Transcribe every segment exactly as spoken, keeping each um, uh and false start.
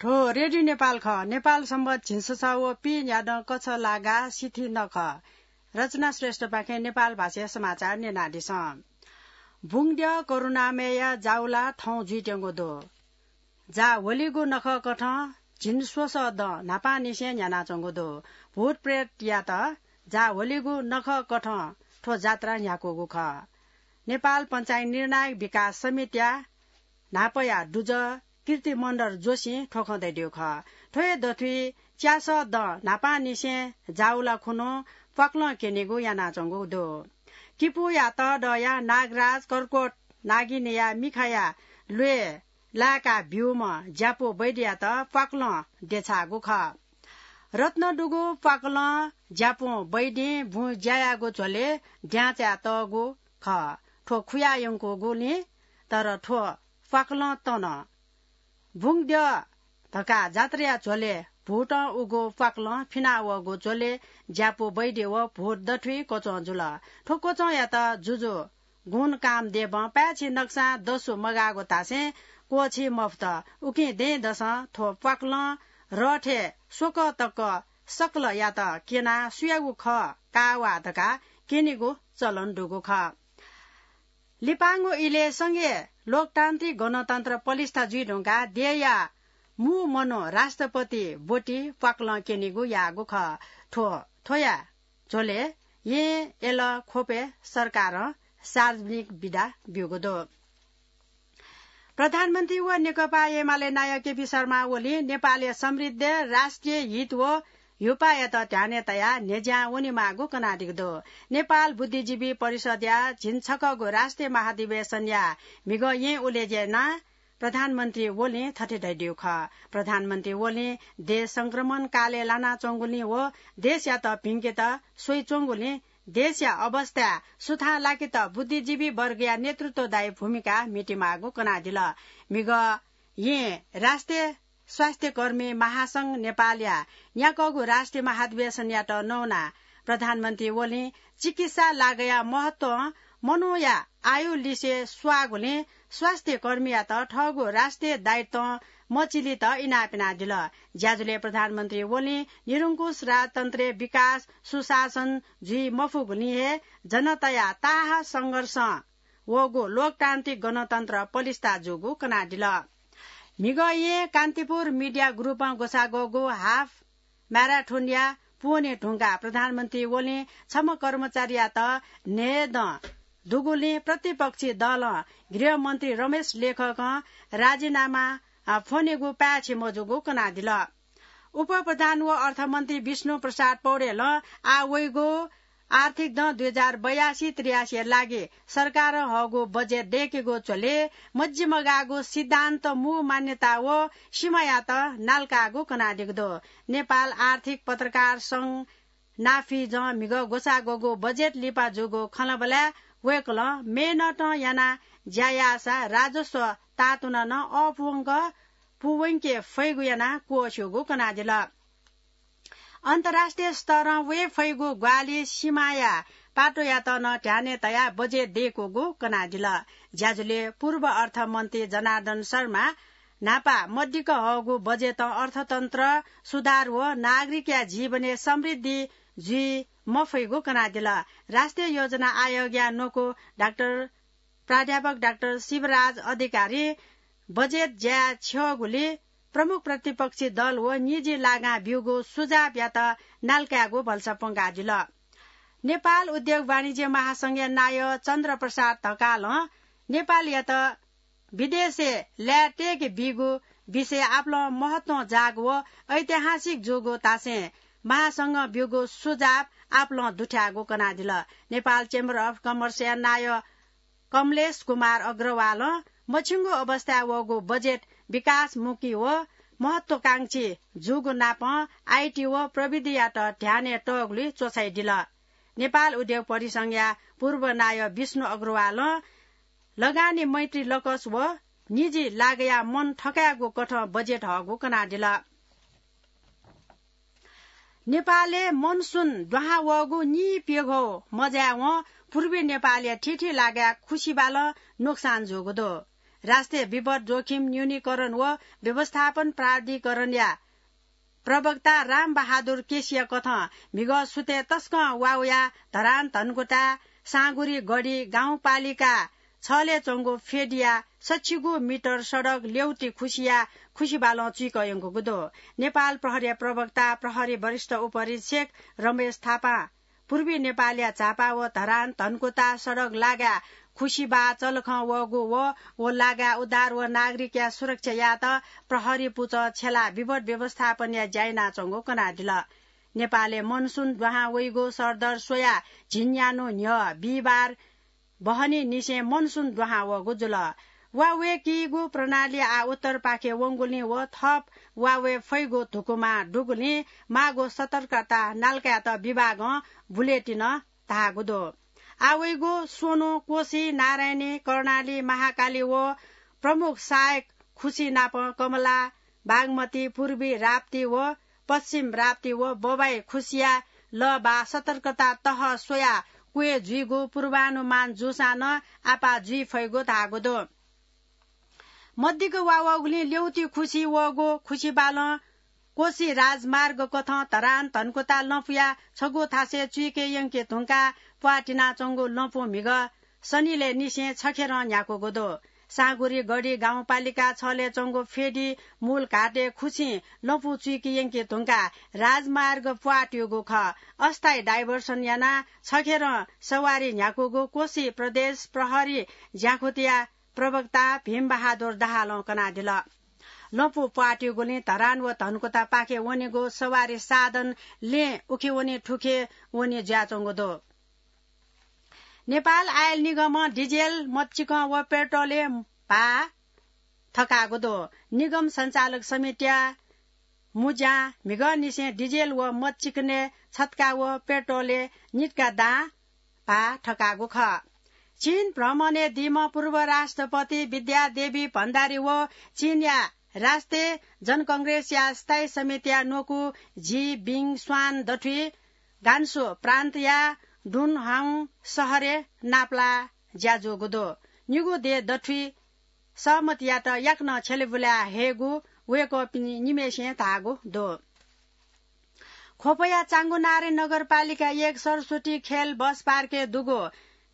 हो, रेडियो नेपाल खः। नेपाल संवत झिंछसः व पीन्यादँ कछलागा सिथि नखः। रचना श्रेष्ठपाखें नेपाल भाषाया समाचार न्यनादिसँ। बुंग्द्यः करुणामयया जाःगु ला थौं जुइत्यंगु दु। जाः ह्वलिगु नखःकथं झिंस्वसः दँ न्हापांनिसें न्ह्यानाच्वंगु दु। भूतप्रेतयात जाः ह्वलिगु नखःकथं थ्व जात्रा न्ह्याकूगु खः। नेपाल पञ्चायत निर्णायक विकास समितिया न्हापाया दुजः कीर्तिमण्डल जोशीं थ्व खँ धयादीगु खः। थ्व हे दथुइ च्यासः दँ न्हापांनिसें जाःगु ला खुन्हु प्वाकलं क्यनीगु यानाच्वंगु दु। किपूया तःदँया नागराज कर्कोट नागिनीया मिखाया ल्वय् लाय्‌का ब्यूम्ह ज्यापू वैद्ययात प्वाकलं देछाःगु खः। रत्न दुगु प्वाकलं ज्यापू वैद्यं बुँ ज्या याःगु झ्वलय् द्याँचाय् तःगु खः। थ्व खुया यंकूगुलिं तर थ्व प्वाकलं तन। बुंग्द्यः धकाः जात्राया झ्वलय् भूतं उगु प्वाकलं फिना वःगु झ्वलय् ज्यापू वैद्य व भूत दथुइ क्वचं जुल। थ्व क्वचंयात जुजु गुण कामदेवं पाय्‌छि नकसां दसु मगाःगु धासें क्वःछी मफुत। उकिं दँय्‌दसं थ्व प्वाकलं रथय् स्वकः तक सकलयात क्यनाः सुयागु खः का वा धकाः क्यनीगु चलन दुगु खः। लिपांगु इलय् संघीय लोकतान्त्रिक गणतन्त्र पलिस्था जुइ धुंकाः देय्‌या मू मनू राष्ट्रपति ब्वति प्वाकलं क्यनीगु याःगु खः। थ्व, थ्वया झ्वलय् येँ यल ख्वपय् सरकारं सार्वजनिक बिदा ब्यूगु दु। प्रधानमन्त्री व नेकपा एमाले नायः केपी शर्मा ओलीं नेपालया समृद्ध, राष्ट्रिय हित व ह्युपायात ध्यानय् तयाः न्ह्यज्यां वनेमाःगु कनादीगु दु। नेपाल बुद्धिजीवी परिषद्या झिंछखःगु राष्ट्रिय महाधिवेशनया म्हिगः येँ उलेज्यानाः प्रधानमन्त्री ओलीं थथे धयादीगु खः। प्रधानमन्त्री ओलीं देश संक्रमण कालय् लानाच्वंगुलिं व देशयात भिंकेत स्वइच्वंगुलिं देशया अवस्थाय् सुथां लाकेत बुद्धिजीवी वर्गया नेतृत्वदायी भूमिका म्हितेमाःगु कनादिल। म्हिगः येँ राष्ट्रिय स्वास्थ्यकर्मी महासंघ नेपालया न्याकःगु राष्ट्रिय महाधिवेशनयात नवानाः प्रधानमन्त्री ओलीं चिकित्सा लागया महत्वं मनूया आयु लिसे स्वाःगुलिं स्वास्थ्यकर्मीयात थःगु राष्ट्रिय दायित्वं मचिलित इनाप यानादिल। ज्याझ्वलय् प्रधानमन्त्री ओलीं निरंकुश राजतन्त्रय् विकास सुशासन जुइ मफुगुलिं हे जनताया ताःहाः संघर्षं वःगु लोकतान्त्रिक गणतन्त्र पलिस्था जूगु कनादिल। म्हिगः येँ कान्तिपुर मिडिया ग्रुपं ग्वसाः ग्वःगु हाफ म्याराथनया पूवने धुंकाः प्रधानमन्त्री ओलीं छम्ह कर्मचारीयात न्हय्दँ दुगुलिं प्रतिपक्षी दलं गृहमन्त्री रमेश लेखकं राजीनामा, अ, फ्वनेगु पाय्‌छि मजूगु कनादिल। उपप्रधान व अर्थमन्त्री विष्णु प्रसाद पौडेलं आः वइगु आर्थिक दँ दुई हजार बयासी त्रियासीया लागि सरकारं हःगु बजेट दय्‌केगु झ्वलय् मजिमगाःगु सिद्धान्त, मू मान्यता व सीमायात नाल्काःगु कनादीगु दु। नेपाल आर्थिक पत्रकार संघ नाफिजं म्हिगः ग्वसाः ग्वःगु बजेट लिपा जूगु खँल्हाबल्हाय् वय्‌कलं मेहनतं यानाः ज्या याःसा राजस्व तातुना नं अःपुवंक पूवंके फइगु यानाः क्वःस्यूगु कनादिल। अन्तर्राष्ट्रिय स्तरं वये फइगु ग्वाहालि सीमाया पाटोयात नं ध्यानय् तयाः बजेट दय्‌कूगु कनादिल। ज्याझ्वलय् पूर्व अर्थमन्त्री जनार्दन शर्मा न्हापा मदिक्क हःगु बजेटं अर्थतन्त्र सुधार व नागरिकया जीवनय् समृद्धि जुइ मफइगु कनादिल। राष्ट्रिय योजना आयोगया न्वकू डाक्टर, प्राध्यापक डाक्टर शिवराज अधिकारी बजेट ज्याय् छ्यःगुलिं प्रमुख प्रतिपक्षी दल व निजी लागां ब्यूगु सुझावयात नाल्कायेगु भलसा प्वंकादिल। नेपाल उद्योग वाणिज्य महासंघया नायः चन्द्र प्रसाद ढकालं नेपालयात विदेशय् ल्याय् तय्‌के बीगु विषय आपालं महत्वं जाःगु व ऐतिहासिक जूगु धासें महासंघं ब्यूगु सुझाव आपालं दुथ्याःगु कनादिल। नेपाल Chamber of Commerceया नायः कमलेश कुमार अग्रवालं मछिंगु अवस्थाय् वःगु बजेट विकासमुखी व महत्वाकांक्षी जूगु नापं आईटी व प्रविधियात ध्यानय् तःगुली च्वछाइदिल। नेपाल उद्योग परिसंघया पूर्व नायः विष्णु अग्रवालं लगानी मैत्री लकस व निजी लागया मन थकायेगु कथं बजेट हःगु कनादिल। नेपालय् मनसुन दुहां वःगु नीप्यघौ मजाय्‌वं पूर्वी नेपालया थीथी लागया खुसिबालं नोक्सान जूगु दु। राष्ट्रिय विपद जोखिम न्यूनीकरण व व्यवस्थापन प्राधिकरणया प्रवक्ता रामबहादुर केसीया कथं म्हिगः सुथय् तसकं वा वयाः धरान धनकुटा, साँगुरी गढी गाउँपालिका छलय् च्वंगु फेदीया सच्छि गू मिटर सडक ल्यौती खुसिया खुसिबालं चुइकः यंकूगु दु। नेपाल प्रहरीया प्रवक्ता प्रहरी वरिष्ठ उपरीक्षक रमेश थापां पूर्वी नेपालया झापा व धरान धनकुटा सडक लागाय् खुसिबा चलखं वःगु व व लागाय् उद्धार व नागरिकया सुरक्षा यायेत प्रहरी पुचः छ्यलाः विपद व्यवस्थापनया ज्या यानाच्वंगु कनादिल। नेपालय् मनसुन दुहां वइगु सरदर स्वयाः झिंन्यान्हु न्ह्यः बिहिबार बहनी निसें मनसुन दुहां वःगु जुल। वा वय्‌कीगु प्रणाली आः उत्तरपाखे वंगुलिं व थप वा वये फइगु धुकुमा दुगुलिं माःगु सतर्कता नालकायेत विभागं बुलेटिनं धाःगु दु। आः वइगु स्वन्हु, कोशी, नारायणी, कर्णाली, महाकाली व प्रमुख सहायक खुसी नाप कमला, बागमती, पूर्वी राप्ती व पश्चिम राप्ती व बबाई खुसिया लःबाः सतर्कता तह स्वयाः क्वय् जुइगु पूर्वानुमान जूसां नं आपाः जुइ फइगु धाःगु दु। मदिक्क वा वःगुलिं ल्यौती खुसी वःगु खुसिबालं कोशी राजमार्ग कथं धरान धनकुटा लँपुया छगू थासय् चुइके यंके धुंकाः प्वाः तिनाच्वंगु लँपु म्हिगः सनिलय् निसें छखेरं न्ह्याकूगु दु। साँगुरी गढी गाउँपालिका छलय् च्वंगु फेदी मूल घाटय् खुसिं लँपु चुइके यंके धुंकाः राजमार्ग प्वाः त्यूगु खः। अस्थायी डाइभर्सन यानाः छखेरं सवारी न्ह्याकूगु कोशी प्रदेश प्रहरी ज्याखुतिया प्रवक्ता भीमबहादुर दाहालं कनादिल। लँपु प्वाः त्यूगुलिं धरान व धनकुटापाखे वनेगु सवारी साधन लँय् उखे वने थुखे वने जुयाच्वंगु दु। नेपाल आयल निगमं डिजेल, मच्चिकं व पेट्रोलय् भाः थकाःगु दु। निगम सञ्चालक समितिया मुज्यां म्हिगःनिसें डिजेल व मच्चिकनय् छत्का व पेट्रोलय् नित्का दां भाः थकाःगु खः। चीन भ्रमणय् दीम्ह पूर्व राष्ट्रपति विद्यादेवी भण्डारी व चीनया राष्ट्रिय जनकंग्रेसया स्थायी समितिया न्वकू जी बिङ स्वान दथुइ गान्सु प्रान्तया डुनहाङ शहरय् नापलाः ज्या जूगु दु। निगू देय् दथुइ सहमतियात याकनं छ्यलेबुलाये हयेगु वय्‌कःपिं निम्हय्‌सिनं धाःगु दु। ख्वपया चांगुनारायणी नगरपालिका एक सरस्वती खेल बस पार्कय् दुगु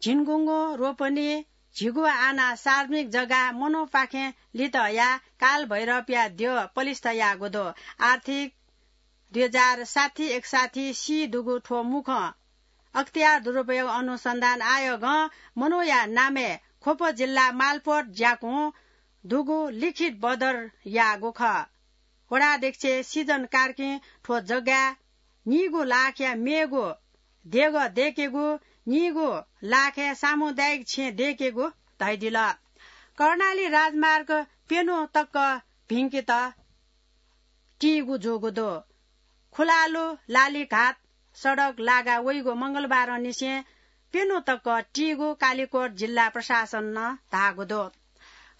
झिंगुंगु रोपनी झिगू आना सार्वजनिक जग्गा मनूपाखें लित हयाः कालभैरवया द्यः पलिस्था याःगु दु। आर्थिक दुई हजार साठी एकसाठी सी दुगु थ्व मुखं अख्तियार दुरुपयोग अनुसन्धान आयोगं मनूया नामय् ख्वप जिल्ला मालपोत ज्याकुं दुगु लिखित बदर याःगु खः। वडा अध्यक्ष सिजन कार्कीं थ्व जग्गाय् नीगू लाखया मेगु देगः दय्‌केगु, नीगू लाखया सामुदायिक छेँ दय्‌केगु धयादिल। कर्णाली राजमार्ग प्यन्हु तक भिंकेत तीगु जूगु दु। खुलालु लालीघाट सडक लागा वइगु मंगलबारंनिसें प्यन्हु तक तीगु कालिकोट जिल्ला प्रशासनं धाःगु दु।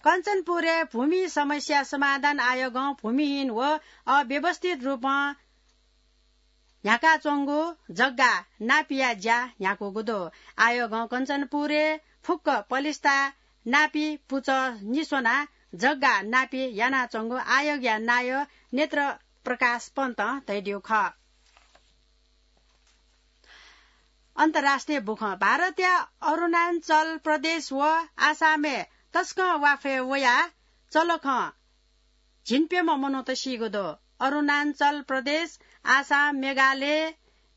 कञ्चनपुरय् भूमि समस्या समाधान आयोगं भूमिहीन व अव्यवस्थित रूपं न्ह्याकाच्वंगु जग्गा नापीया ज्या न्ह्याकूगु दु। आयोगं कञ्चनपुरय् फुक्क पलिस्था नापी पुचः निस्वनाः जग्गा नापी यानाच्वंगु आयोगया नायः नेत्र प्रकाश पन्तं धयादिउ खः। अन्तर्राष्ट्रिय बुखँ। भारतया अरुणाञ्चल प्रदेश व आसामय् तसकं वाफय् वयाः चलखं झिंप्यम्ह मनूत सीगु दु। अरुणाञ्चल प्रदेश, आसाम, मेघालय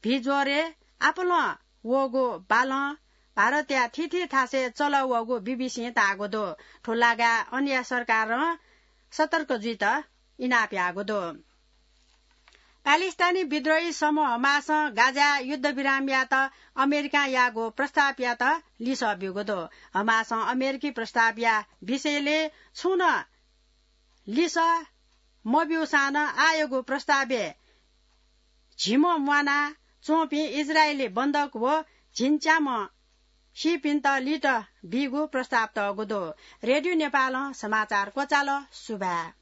भिज्वरय् आपालं वःगु बालं भारतया थीथी थासय् चलः वःगु बीबीसीं धाःगु दु। थ्व लागाय् अनया सरकारं सतर्क जुइत इनाप याःगु दु। प्यालेस्टाइनी विद्रोही समूह हमासं गाजाय् युद्धविराम यायेत अमेरिकां याःगु प्रस्तावयात लिसः ब्यूगु दु। हमासं अमेरिकी प्रस्तावया विषयलय् छुं नं लिसः मब्यूसां नं आःयागु प्रस्तावय् झिम्ह म्वाना च्वंपिं इजरायली बन्धक व झिंच्याम्ह सीपिन्त लित बीगु प्रस्ताव तःगु दु। रेडियो नेपालं समाचार क्वचाल। सुभाय्।